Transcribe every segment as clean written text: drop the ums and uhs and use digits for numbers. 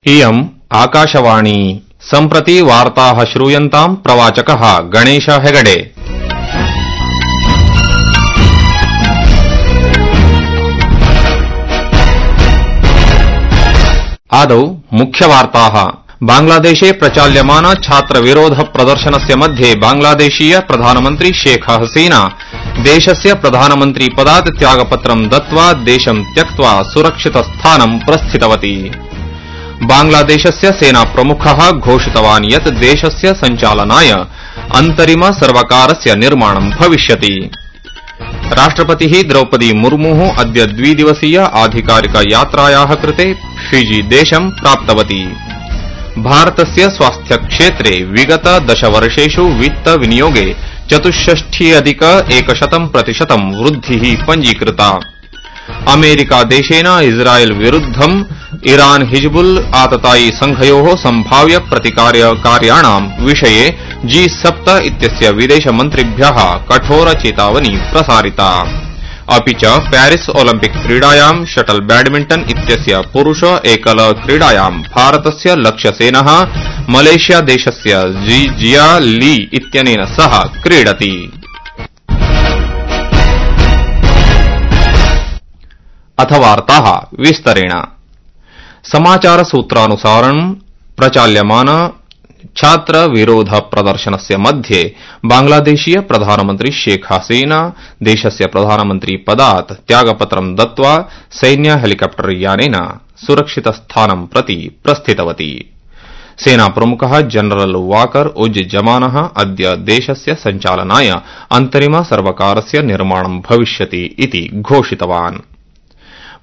इयम् आकाशवाणी सम्प्रति वार्ताः श्रूयन्ताम् प्रवाचकः गणेश हेगडे। आदौ मुख्यवार्ताः। बांग्लादेशे प्रचाल्यमान छात्रविरोध प्रदर्शनस्य मध्ये बांग्लादेशीय प्रधानमन्त्री शेख हसीना देशस्य प्रधानमन्त्री पदात् त्यागपत्रं दत्त्वा देशं त्यक्त्वा सुरक्षितस्थानं प्रस्थितवती। बांग्लादेशस्य सेनाप्रमुखः घोषितवान् यत् देशस्य सञ्चालनाय अन्तरिम सर्वकारस्य निर्माणं भविष्यति। राष्ट्रपतिः द्रौपदी मुर्मुः अद्य द्विदिवसीय आधिकारिक यात्रायाः कृते फिजी देशं प्राप्तवती। भारतस्य स्वास्थ्यक्षेत्रे विगत 10 वर्षेषु वित्तविनियोगे 64,100% वृद्धिः पञ्जीकृता। अमेरिकादेशेन इस्राएल विरुद्धं ईरान हिजबुल आततायि संघयोः सम्भाव्य प्रतिकार्याणां विषये G7 इत्यस्य विदेशमन्त्रिभ्यः कठोर चेतावनी प्रसारिता। अपि च पेरिस ओलिम्पिक क्रीडायां शटल बैडमिंटन इत्यस्य पुरुष एकल क्रीडायां भारतस्य लक्ष्यसेनः मलेशिया देशस्य जिया ली इत्यनेन सह क्रीडति। अथ वार्ताः विस्तरेण। समाचारसूत्रानुसारं प्रचाल्यमान छात्र विरोध प्रदर्शनस्य मध्ये बांग्लादेशीय प्रधानमन्त्री शेख हसीना देशस्य प्रधानमन्त्री पदात् त्यागपत्रं दत्त्वा सैन्य हेलिकॉप्टर यानेन सुरक्षितस्थानं प्रति प्रस्थितवती। सेनाप्रमुखः जनरल वाकर उज जमानः अद्य देशस्य सञ्चालनाय अन्तरिम सर्वकारस्य निर्माणं भविष्यति इति घोषितवान्।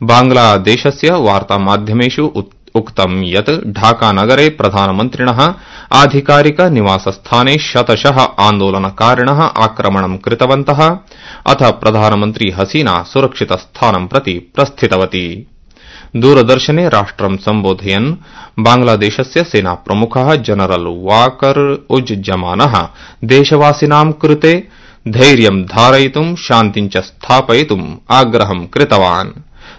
बांग्लादेशस्य वार्तामाध्यमेषु उक्तं यत् ढाकानगरे प्रधानमन्त्रिणः आधिकारिक निवासस्थाने शतशः आन्दोलनकारिणः आक्रमणं कृतवन्तः, अथ प्रधानमन्त्री हसीना सुरक्षितस्थानं प्रति प्रस्थितवती। दूरदर्शने राष्ट्रं सम्बोधयन् बांग्लादेशस्य सेनाप्रमुखः जनरल वाकर उज जमानः देशवासिनां कृते धैर्यं धारयितुं शान्तिं च स्थापयितुम् आग्रहं कृतवान्।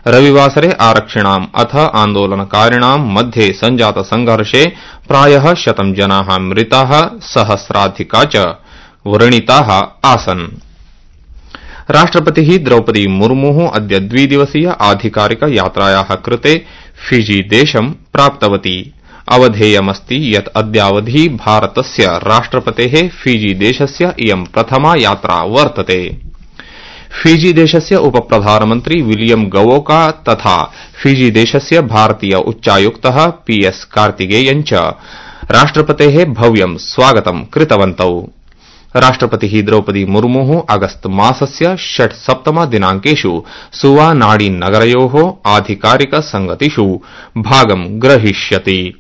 रविवासरे आरक्षिणाम् अथ आन्दोलनकारिणां मध्ये सञ्जात संघर्षे प्रायः 100 जनाः मृताः, सहस्राधिका च व्रणिताः आसन्। राष्ट्रपतिः द्रौपदी मुर्मुः अद्य द्विदिवसीय आधिकारिक यात्रायाः कृते फिजी देशं प्राप्तवती। अवधेयमस्ति यत् अद्यावधि भारतस्य राष्ट्रपतेः फिजी देशस्य इयं प्रथमा यात्रा वर्तते। फिजी देशस्य उपप्रधानमन्त्री विलियम गवोका तथा फिजी देशस्य भारतीय उच्चायुक्तः PS कार्तिकेयन् च राष्ट्रपतेः भव्यं स्वागतं कृतवन्तौ। राष्ट्रपतिः द्रौपदी मुर्मुः अगस्त मासस्य 6-7 दिनाङ्केषु सुवानाडी नगरयोः आधिकारिक संगतिषु भागं ग्रहीष्यति।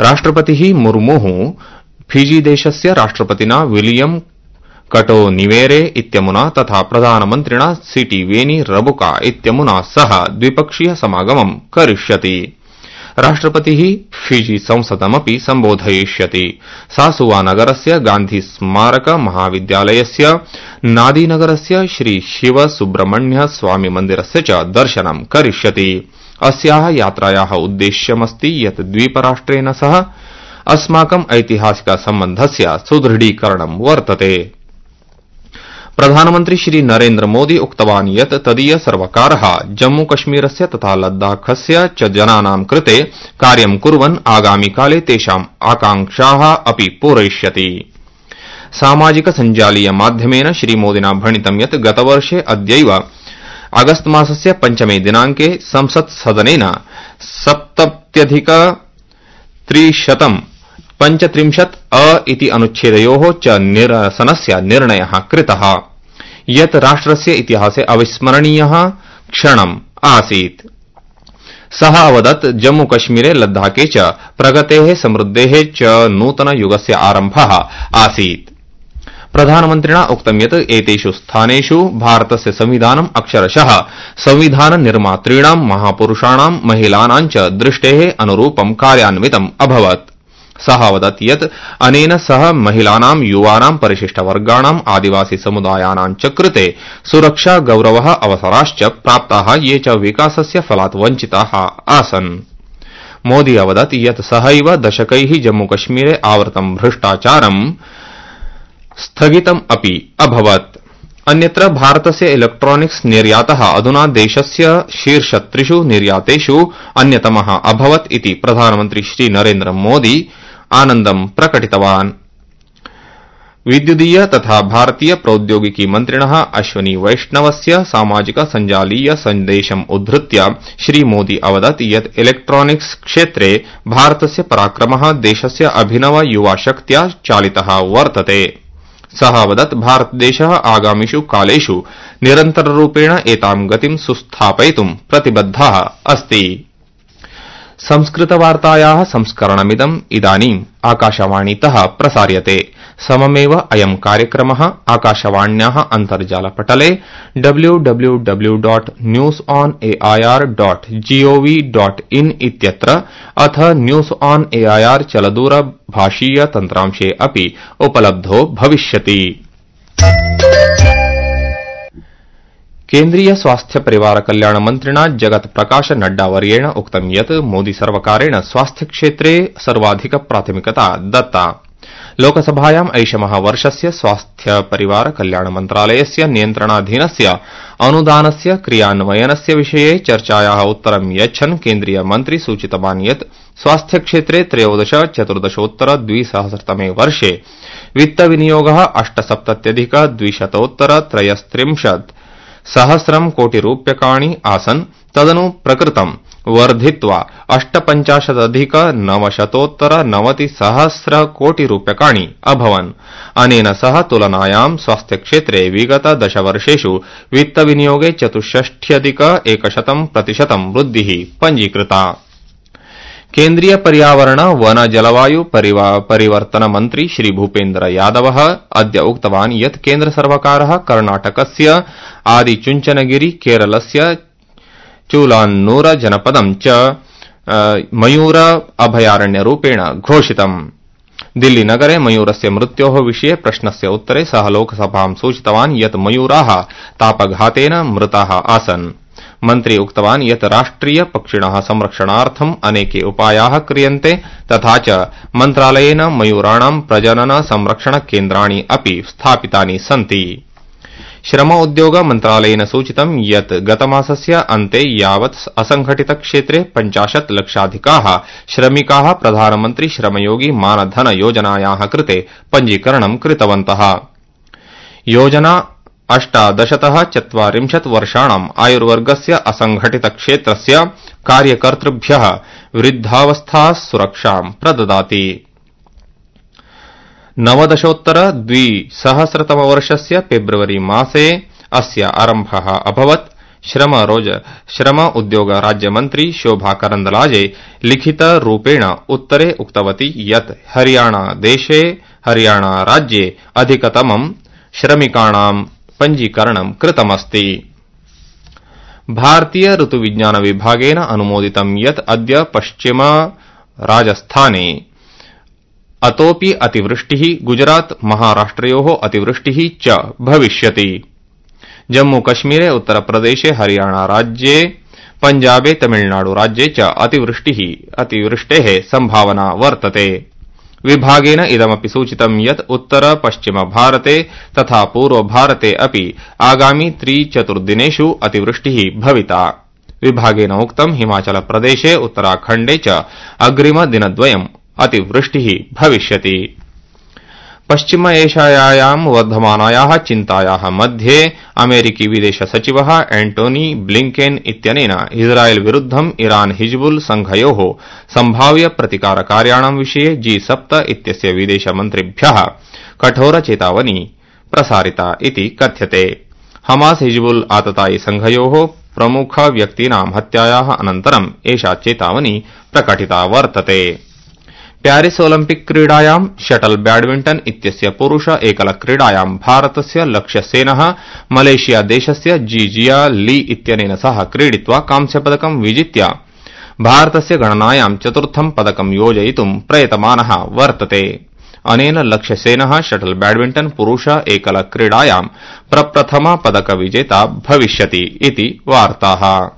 राष्ट्रपतिः मुर्मुः फिजी देशस्य राष्ट्रपतिना विलियम कटोनिवेरे इत्यमुना तथा प्रधानमन्त्रिणा सिटिवेनी रबुका इत्यमुना सह द्विपक्षीय समागमं करिष्यति। राष्ट्रपतिः फिजी संसदमपि सम्बोधयिष्यति। सा सुवानगरस्य गान्धी स्मारक महाविद्यालयस्य नादीनगरस्य श्री शिव सुब्रह्मण्य स्वामी मन्दिरस्य च दर्शनं करिष्यति। अस्याः यात्रायाः उद्देश्यमस्ति यत् द्वीपराष्ट्रेण सह अस्माकम् ऐतिहासिक सम्बन्धस्य सुदृढीकरणं वर्तते। प्रधानमन्त्री श्री नरेन्द्र मोदी उक्तवान् यत् तदीय सर्वकारः जम्मूकश्मीरस्य तथा लद्दाखस्य च जनानां कृते कार्यं कुर्वन् आगामिकाले तेषाम् आकांक्षाः अपि पूरयिष्यति। सामाजिक सञ्जालीय माध्यमेन श्रीमोदिना भणितं यत् गतवर्षे अद्यैव अगस्त मासस्य 5 दिनाङ्के संसत्सदनेन 70,335 इति अनुच्छेदयोः च निरसनस्य निर्णयः कृतः, यत् राष्ट्रस्य इतिहासे अविस्मरणीयः क्षणम् आसीत्। सः अवदत् जम्मूकश्मीरे लद्दाखे च प्रगतेः समृद्धेः च नूतनयुगस्य आरम्भः आसीत्। प्रधानमन्त्रिणा उक्तं यत् एतेषु स्थानेषु भारतस्य संविधानम् अक्षरशः संविधान निर्मातॄणां महापुरुषाणां महिलानां च दृष्टेः अनुरूपं कार्यान्वितम् अभवत्। सः अवदत् यत् अनेन सह महिलानां, युवानां, परिशिष्टवर्गाणां, आदिवासी समुदायानां च कृते सुरक्षा, गौरवः, अवसराश्च प्राप्ताः, ये च विकासस्य फलात् वञ्चिताः आसन्। मोदी अवदत् यत् सहैव दशकैः जम्मूकश्मीरे आवृतं भ्रष्टाचारं स्थगितम् अपि अभवत्। अन्यत्र भारतस्य इलेक्ट्रॉनिक्स निर्यातः अधुना देशस्य शीर्षत्रिषु निर्यातेषु अन्यतमः अभवत् इति प्रधानमन्त्री श्री नरेन्द्र मोदी आनन्दं प्रकटितवान्। विद्युदीय तथा भारतीय प्रौद्योगिकी मन्त्रिणः अश्वनी वैष्णवस्य सामाजिक सञ्जालीय सन्देशम् उद्धृत्य श्रीमोदी अवदत् यत् इलेक्ट्रॉनिक्स क्षेत्रे भारतस्य पराक्रमः देशस्य अभिनव युवाशक्त्या चालितः वर्तते। सः अवदत् भारतदेशः आगामिषु कालेषु निरन्तररूपेण एतां गतिं सुस्थापयितुं प्रतिबद्धः अस्ति। संस्कृतवार्तायाः संस्करणमिदम् इदानीम् आकाशवाणीतः प्रसार्यते। सममेव अयं कार्यक्रमः आकाशवाण्याः अन्तर्जालपटले www.newsonair.gov.in इत्यत्र अथ न्यूज ऑन एआईआर चलदूरभाषीय तन्त्रांशे अपि उपलब्धो भविष्यति। केन्द्रीय स्वास्थ्य परिवार कल्याण मन्त्रिणा जगत प्रकाश नड्डा वर्येण उक्तं यत् मोदी सर्वकारेण स्वास्थ्य क्षेत्रे सर्वाधिक प्राथमिकता दत्ता। लोकसभायाम् ऐषमः वर्षस्य स्वास्थ्य परिवार कल्याण मन्त्रालयस्य नियन्त्रणाधीनस्य अनुदानस्य क्रियान्वयनस्य विषये चर्चायाः उत्तरं यच्छन् केन्द्रीय मन्त्री सूचितवान् यत् स्वास्थ्य क्षेत्रे 13-14-2013 वर्षे वित्तविनियोगः 8,200,233 कोटिरूप्यकाणि आसन्। तदनु प्रकृतं वर्धित्वा 8,50,990 कोटिरूप्यकाणि अभवन्। अनेन सह तुलनायां स्वास्थ्यक्षेत्रे विगत 10 वर्षेषु वित्तविनियोगे 64,100% वृद्धिः पञ्जीकृता। केन्द्रीय पर्यावरण वन जलवायु परिवर्तन मन्त्री श्री भूपेन्द्र यादवः अद्य उक्तवान् यत् केन्द्र सर्वकारः कर्णाटकस्य आदिचुञ्चनगिरि, केरलस्य चूलान्नूर जनपदं च मयूर अभयारण्यरूपेण घोषितम्। दिल्लीनगरे मयूरस्य मृत्योः विषये प्रश्नस्य उत्तरे सः लोकसभां सूचितवान् यत् मयूराः तापघातेन मृताः आसन्। मन्त्री उक्तवान् यत् राष्ट्रिय पक्षिणः संरक्षणार्थम् अनेके उपायाः क्रियन्ते तथा च मन्त्रालयेन मयूराणां प्रजनन संरक्षण केन्द्राणि अपि स्थापितानि सन्ति। श्रम उद्योग मन्त्रालयेन सूचितं यत् गतमासस्य अन्ते यावत् असंघटित क्षेत्रे 50 लक्षाधिकाः श्रमिकाः प्रधानमन्त्री श्रमयोगी मानधन योजनायाः कृते पञ्जीकरणं कृतवन्तः। योजना 18-40 वर्षाणाम् आयुर्वर्गस्य असंघटित क्षेत्रस्य कार्यकर्तृभ्यः वृद्धावस्था सुरक्षां प्रददाति। 19-2000 फेब्रुवरी मासे अस्य आरम्भः अभवत्। श्रम उद्योग राज्यमन्त्री शोभा करन्दलाजे लिखितरूपेण उत्तरे उक्तवती यत् हरियाणा राज्ये अधिकतमं श्रमिकाणां पञ्जीकरणं कृतमस्ति। भारतीय ऋतुविज्ञान विभागेन अनुमोदितं यत् अद्य पश्चिम राजस्थाने अतोऽपि अतिवृष्टिः, गुजरात महाराष्ट्रयोः अतिवृष्टिः च भविष्यति। जम्मूकश्मीरे, उत्तरप्रदेशे, हरियाणा राज्ये, पञ्जाबे, तमिलनाडु राज्ये च अतिवृष्टेः सम्भावना वर्तते। विभागेन इदमपि सूचितं यत् उत्तर पश्चिम भारते तथा पूर्व भारते अपि आगामि 3-4 दिनेषु अतिवृष्टिः भविता। विभागेन उक्तं हिमाचल प्रदेशे, उत्तराखण्डे च अग्रिम दिनद्वयम् अतिवृष्टिः भविष्यति। पश्चिम एशियायां वर्धमानायाः चिन्तायाः मध्ये अमेरिकी विदेश सचिवः एंटोनी ब्लिंकेन इत्यनेन इस्राएल विरुद्धम् ईरान हिजबुल संघयोः सम्भाव्य प्रतिकारकार्याणां विषये G7 इत्यस्य विदेशमन्त्रिभ्यः कठोर चेतावनी प्रसारिता इति कथ्यते। हमास हिजबुल आततायि संघयोः प्रमुख व्यक्तीनां हत्यायाः अनन्तरम् एषा चेतावनी प्रकटिता वर्तते। प्यारिस ओलिम्पिक क्रीडायां शटल बैडमिंटन इत्यस्य पुरुष एकल क्रीडायां भारतस्य लक्ष्यसेनः मलेशिया देशस्य जीजिया ली इत्यनेन सह क्रीडित्वा कांस्यपदकं विजित्य भारतस्य गणनायां 4थं पदकं योजयितुं प्रयतमानः वर्तते। अनेन लक्ष्यसेनः शटल बैडमिंटन पुरुष एकल क्रीडायां प्रप्रथम पदक विजेता भविष्यति इति वार्ताः।